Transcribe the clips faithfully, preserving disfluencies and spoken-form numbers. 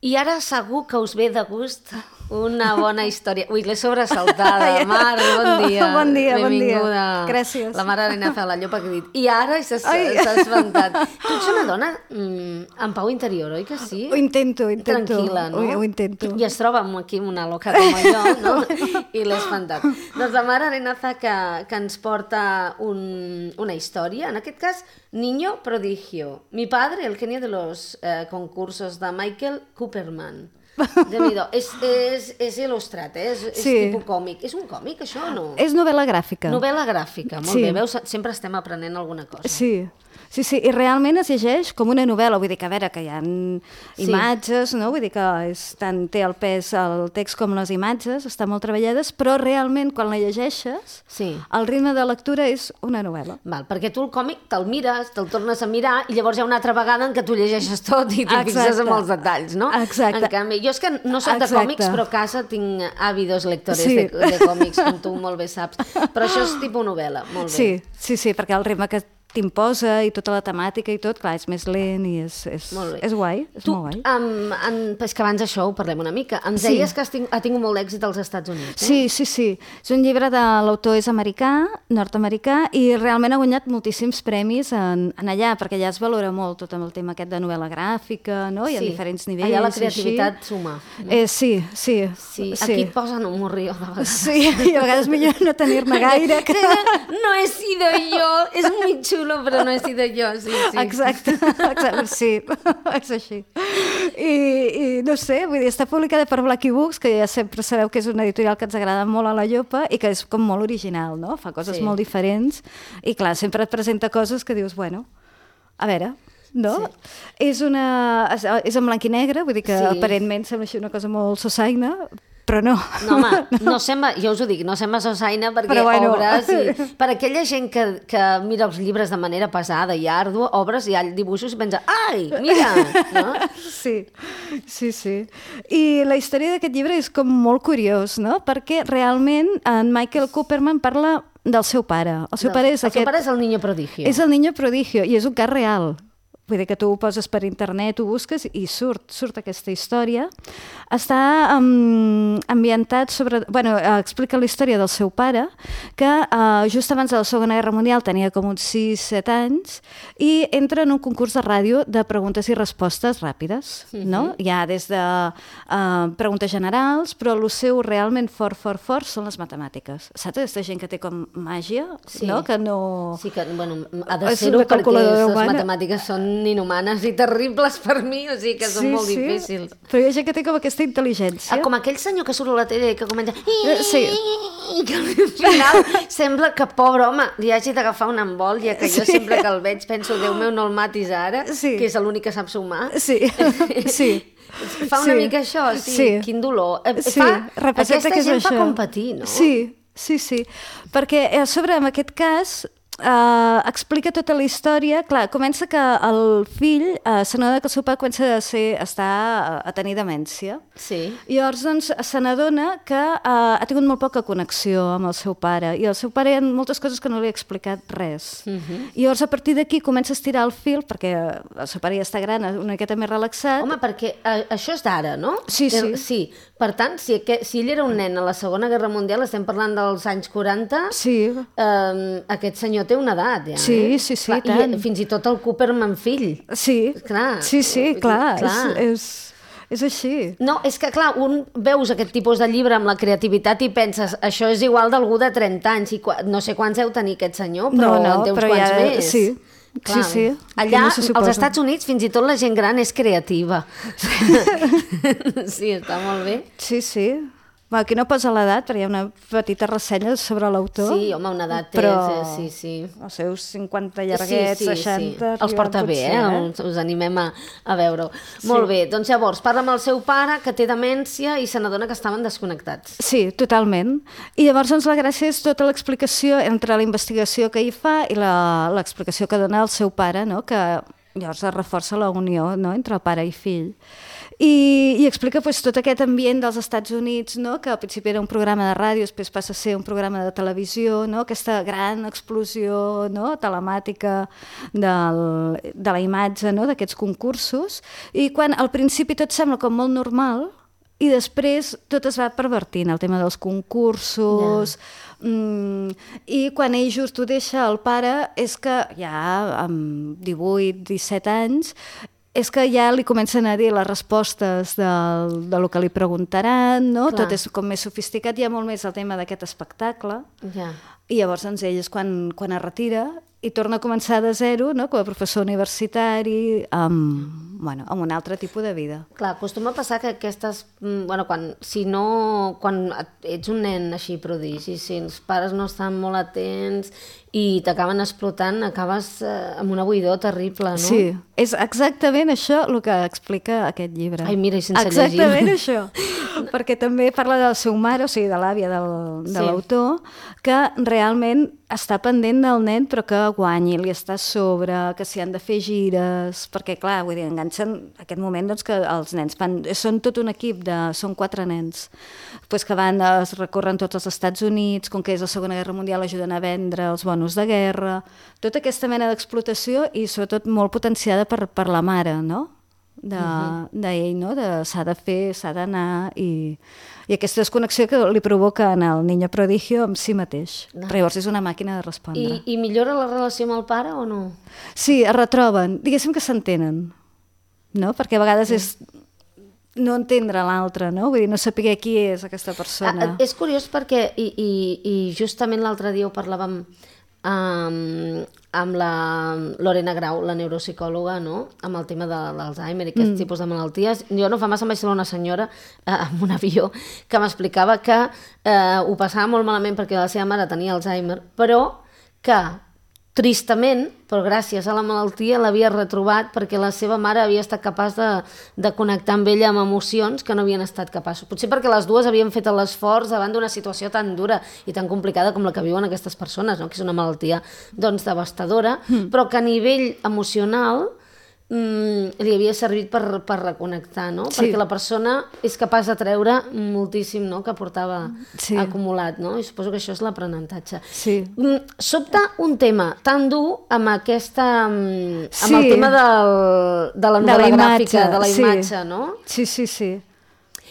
I ara segur que us ve de gust una bona història. Ui, l'he sobresaltada. Mar, bon dia. Bon dia, bon dia. Benvinguda. Gràcies. La mare Elena fa la llopa que he dit. I ara s'ha espantat. Tu ets una dona mm, amb pau interior, oi que sí? Ho intento, ho intento. Tranquil·la, no? Ho, ho intento. I es troba aquí una loca com jo, no? I l'he espantat. Doncs la mare Elena fa que, que ens porta un, una història, en aquest cas, Niño prodigio. Mi padre, el genio de los eh, concursos de Michael Cooperman. Déu-n'hi-do. És, és, és il·lustrat, eh? és, és Sí. tipus còmic. És un còmic, això, o no? És novel·la gràfica. Novel·la gràfica, molt Sí. bé. Veus, sempre estem aprenent alguna cosa. Sí. Sí, sí, i realment es llegeix com una novel·la, vull dir que a veure que hi ha imatges, no? Vull dir que és, tant té el pes el text com les imatges, estan molt treballades, però realment quan la llegeixes, Sí. el ritme de lectura és una novel·la. Val, perquè tu el còmic te'l mires, te'l tornes a mirar i llavors hi ha una altra vegada en què tu llegeixes tot i t'hi fixes Exacte. en els detalls, no? Exacte. En canvi, jo és que no soc de Exacte. còmics, però a casa tinc àvidos lectores Sí. de, de còmics, com tu molt bé saps. Però això és tipus novel·la, molt bé. Sí, sí, sí, perquè el ritme que t'imposa i tota la temàtica i tot, clar, és més lent i és, és, Molt bé. és guai, és Tu, molt guai. um, en, és que abans d'això ho parlem una mica. Ens Sí. deies que has ting, ha tingut molt d'èxit als Estats Units, eh? Sí, sí, sí. És un llibre de l'autor és americà, nord-americà, i realment ha guanyat moltíssims premis en, en allà, perquè allà es valora molt tot amb el tema aquest de novel·la gràfica, no? I a diferents nivells. Allà la i així. creativitat suma. No? Eh, sí, sí. Sí, aquí et posen un morrió de vegades. Sí, i a vegades millor no tenir-ne gaire. Que... No he sido yo, és muy xulo, però no he sido jo, sí, sí. Exacte, exacte, sí, és així. I, I no sé, vull dir, està publicada per Blackie Books, que ja sempre sabeu que és una editorial que ens agrada molt a la llopa i que és com molt original, no? Fa coses Sí. molt diferents i clar, sempre et presenta coses que dius, bueno, a veure, no? Sí. És, una, és, és en blanc i negre, vull dir que Sí. aparentment sembla així una cosa molt sosaina, però no. No, home, no sembla, jo us ho dic, no sembla sosaina perquè Però bueno. obres i... Per aquella gent que, que mira els llibres de manera pesada i àrdua, obres i hi ha dibuixos i pensa, ai, mira! No? Sí, sí, sí. I la història d'aquest llibre és com molt curiós, no? Perquè realment en Michael Cooperman parla del seu pare. El seu pare és el aquest... seu pare és el Niño prodigio. És el Niño prodigio i és un cas real. Vull dir que tu ho poses per internet, ho busques i surt, surt aquesta història. Està um, ambientat sobre... Bueno, eh, explica la història del seu pare, que uh, just abans de la Segona Guerra Mundial tenia com uns sis set anys i entra en un concurs de ràdio de preguntes i respostes ràpides, no? Hi ha des de uh, preguntes generals, però el seu realment fort, fort, fort són les matemàtiques. Saps aquesta gent que té com màgia, Sí. no? Que no... Sí que, bueno, ha de És ser-ho una perquè calculadora les humana. matemàtiques són inhumanes i terribles per mi, o sigui que són molt difícils. Però hi ha gent que té com aquesta intel·ligència. Ah, com aquell senyor que surt a la tele i que comença... Eh, sí. I que al final sembla que, pobre home, li hagi d'agafar un embòlia, que jo Sí. sempre que el veig penso, Déu meu, no el matis ara, Sí. que és l'únic que sap sumar. Sí, sí. Fa una Sí. mica això, sí, Sí. quin dolor. Eh, Sí, fa, representa aquesta que és gent fa això. competir, no? Sí, sí, sí. Perquè a sobre, en aquest cas, Uh, explica tota la història. Clar, comença que el fill uh, se n'adona que el seu pare comença a, ser, a estar a, a tenir demència. Sí. I llavors doncs, se n'adona que uh, ha tingut molt poca connexió amb el seu pare i el seu pare hi ha moltes coses que no li ha explicat res. Uh -huh. I llavors a partir d'aquí comença a estirar el fil perquè el seu pare ja està gran, una miqueta més relaxat. Home, perquè eh, això és d'ara, no? Sí, sí. Eh, sí. Per tant, si, que, si ell era un nen a la Segona Guerra Mundial, estem parlant dels anys quaranta, Sí. eh, aquest senyor té una edat, ja. Sí, eh? sí, sí, clar, tant. I fins i tot el Cooperman fill. Sí, Clar. sí, sí, clar, Clar. És, és, és així. No, és que clar, un veus aquest tipus de llibre amb la creativitat i penses, això és igual d'algú de trenta anys, i no sé quants deu tenir aquest senyor, però No, no, en té uns però quants ja- més. sí. Clar. Sí, sí. Allà, No se suposa. als Estats Units, fins i tot la gent gran és creativa. Sí, està molt bé. Sí, sí. Bueno, aquí no posa l'edat, però hi ha una petita ressenya sobre l'autor. Sí, home, una edat té, però sí, sí. els seus cinquanta llarguets, sí, sí, seixanta... sí. Els porta bé, potser, eh? Us, us animem a, a veure-ho. Sí. Molt bé, doncs llavors, parla amb el seu pare, que té demència, i se n'adona que estaven desconnectats. Sí, totalment. I llavors doncs, la gràcia és tota l'explicació entre la investigació que hi fa i la- l'explicació que dona el seu pare, no? Que llavors es reforça la unió, no? Entre pare i fill. I i explica pues, tot aquest ambient dels Estats Units, no? Que al principi era un programa de ràdio, després passa a ser un programa de televisió, no? Aquesta gran explosió, no? Telemàtica del, de la imatge, no? D'aquests concursos, i quan al principi tot sembla com molt normal, i després tot es va pervertint, el tema dels concursos, yeah. mm, i quan ell just ho deixa el pare, és que ja amb divuit disset anys, és que ja li comencen a dir les respostes del, de lo que li preguntaran, no? Tot és com més sofisticat, hi ha molt més el tema d'aquest espectacle, yeah. i llavors doncs, ell és quan, quan es retira i torna a començar de zero, no? Com a professor universitari, amb, bueno, amb un altre tipus de vida. Clar, acostuma a passar que aquestes... Bueno, quan, si no... Quan ets un nen així prodigi, si els pares no estan molt atents i t'acaben explotant, acabes eh, amb una buidor terrible, no? Sí, és exactament això el que explica aquest llibre. Ai, mira, i sense exactament llegir. Exactament això. Perquè també parla de la seva mare, o sigui, de l'àvia del, de sí. l'autor, que realment està pendent del nen però que guanyi, li està a sobre, que s'hi han de fer gires, perquè clar, vull dir, enganxen aquest moment doncs, que els nens fan, són tot un equip, de, són quatre nens, pues, que van, es recorren tots els Estats Units, com que és la Segona Guerra Mundial, ajuden a vendre els bonus de guerra, tota aquesta mena d'explotació i sobretot molt potenciada per, per la mare, no? De, uh-huh. d'ell, no? De, s'ha de fer, s'ha d'anar i, i aquesta desconnexió que li provoca en el niño prodigio amb si mateix. No. Però llavors és una màquina de respondre. I, I millora la relació amb el pare o no? Sí, es retroben. Diguéssim que s'entenen, no? Perquè a vegades sí. és no entendre l'altre, no? Vull dir, no saber qui és aquesta persona. Ah, és curiós perquè, i, i, i justament l'altre dia ho parlàvem Um, amb la Lorena Grau, la neuropsicòloga, no? Amb el tema de l'Alzheimer i aquest mm. tipus de malalties. Jo no fa massa em vaig trobar una senyora eh, amb un avió que m'explicava que eh, ho passava molt malament perquè la seva mare tenia Alzheimer, però que tristament, però gràcies a la malaltia l'havia retrobat perquè la seva mare havia estat capaç de, de connectar amb ella amb emocions que no havien estat capaços. Potser perquè les dues havien fet l'esforç davant d'una situació tan dura i tan complicada com la que viuen aquestes persones, no? Que és una malaltia doncs, devastadora, mm. però que a nivell emocional mm, li havia servit per, per reconnectar, no? Sí. Perquè la persona és capaç de treure moltíssim, no? Que portava sí. acumulat, no? I suposo que això és l'aprenentatge. Sí. Mm, sobta un tema tan dur amb aquesta... amb sí. el tema del, de la novel·la de la gràfica, de la sí. imatge, no? Sí, sí, sí.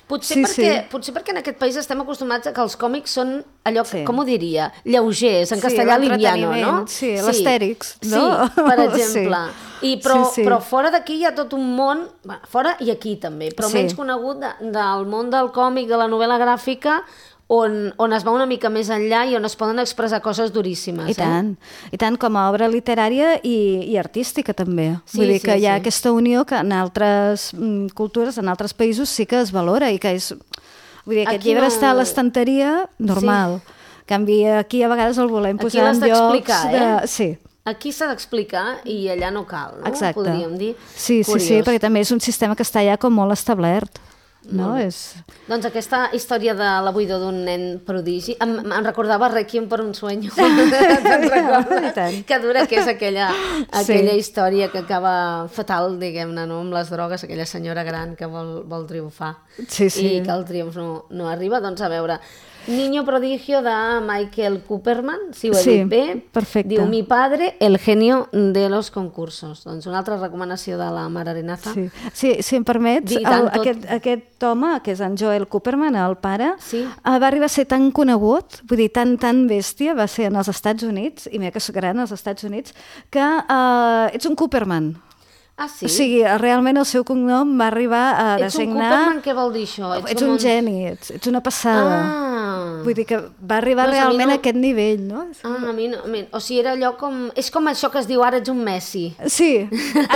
Potser, sí, perquè, sí. potser perquè en aquest país estem acostumats a que els còmics són allò, que, sí. com ho diria, lleugers, en castellà sí, liviano, no? Sí, sí. l'Astèrix, no? Sí, per exemple. Sí. I, però, sí, sí. però fora d'aquí hi ha tot un món, fora i aquí també, però sí. menys conegut de, del món del còmic, de la novel·la gràfica, on, on es va una mica més enllà i on es poden expressar coses duríssimes. I tant, eh? i tant com a obra literària i, i artística també. Sí, Vull dir sí, que hi ha sí. aquesta unió que en altres mm, cultures, en altres països sí que es valora i que és... Vull dir, aquest aquí llibre no... està a l'estanteria normal. Sí. En canvi, aquí a vegades el volem aquí posar en llocs de... Eh? Sí. Aquí s'ha d'explicar i allà no cal, no? Exacte. Podríem dir. Sí, sí, sí, perquè també és un sistema que està ja com molt establert. No? És... Doncs aquesta història de la buidor d'un nen prodigi em, em recordava Requiem per un sueño. Que dura, que és aquella, aquella sí. història que acaba fatal, diguem-ne, no? Amb les drogues, aquella senyora gran que vol, vol triomfar sí, sí. i que el triomf no, no arriba. Doncs a veure, Niño prodigio de Michael Cooperman, si ho he sí, dit bé. Perfecte. Diu, mi padre, el genio de los concursos. Doncs una altra recomanació de la Mar Arenaza. Sí, sí si em permets, el, tot... aquest, aquest home, que és en Joel Cooperman, el pare, sí. va arribar a ser tan conegut, vull dir, tan, tan bèstia, va ser en els Estats Units, i mira que és gran als Estats Units, que uh, ets un Cooperman. Ah, sí? O sigui, realment el seu cognom va arribar a ets designar... Ets un Cooperman, què vol dir això? Ets, ets un, un geni, ets, ets una passada. Ah. Vull dir que va arribar doncs realment a, no... a aquest nivell, no? Ah, a mi no... A mi... O sigui, era allò com... És com això que es diu ara ets un Messi. Sí,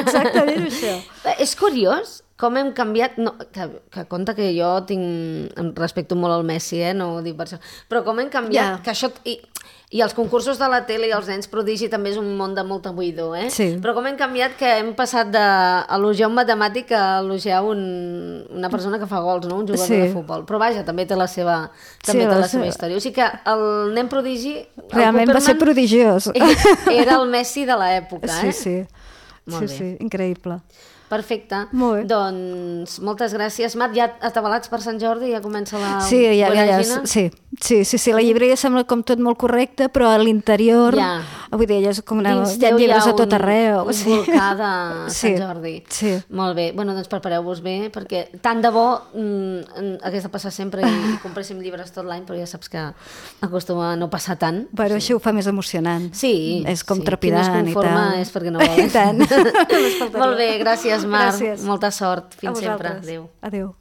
exactament això. És curiós com hem canviat... No, que, que compte que jo tinc... Em respecto molt al Messi, eh? No ho dic per això. Però com hem canviat... Yeah. Que això... I... I els concursos de la tele i els nens prodigi també és un món de molta buidor, eh? Sí. Però com hem canviat que hem passat d'elogiar un matemàtic a elogiar un, una persona que fa gols, no? Un jugador sí. de futbol. Però vaja, també té la seva, també sí, té la seva història. O sigui que el nen prodigi... Realment va ser prodigiós. Era el Messi de l'època, eh? Sí, sí. Molt sí, bé. sí, increïble. Perfecte. Molt bé. Doncs moltes gràcies, Mar. Ja atabalats per Sant Jordi, ja comença la sí, ja, ja, ja, sí, sí, sí, sí, la llibreria sembla com tot molt correcte, però a l'interior, ja. vull dir, ja és com una... Dins hi ha llibres hi ha a tot un, arreu. un sí. volcà de sí. Sant Jordi. Sí. Molt bé. Bueno, doncs prepareu-vos bé, perquè tant de bo mm, hagués de passar sempre i, i compréssim llibres tot l'any, però ja saps que acostuma a no passar tant. Bueno, sí. Això ho fa més emocionant. Sí. És com sí. trepidant Qui no es conforma i tal. és perquè no vol. I tant. Molt bé, gràcies, Mar. Gràcies. Molta sort. Fins sempre. Adéu. Adéu.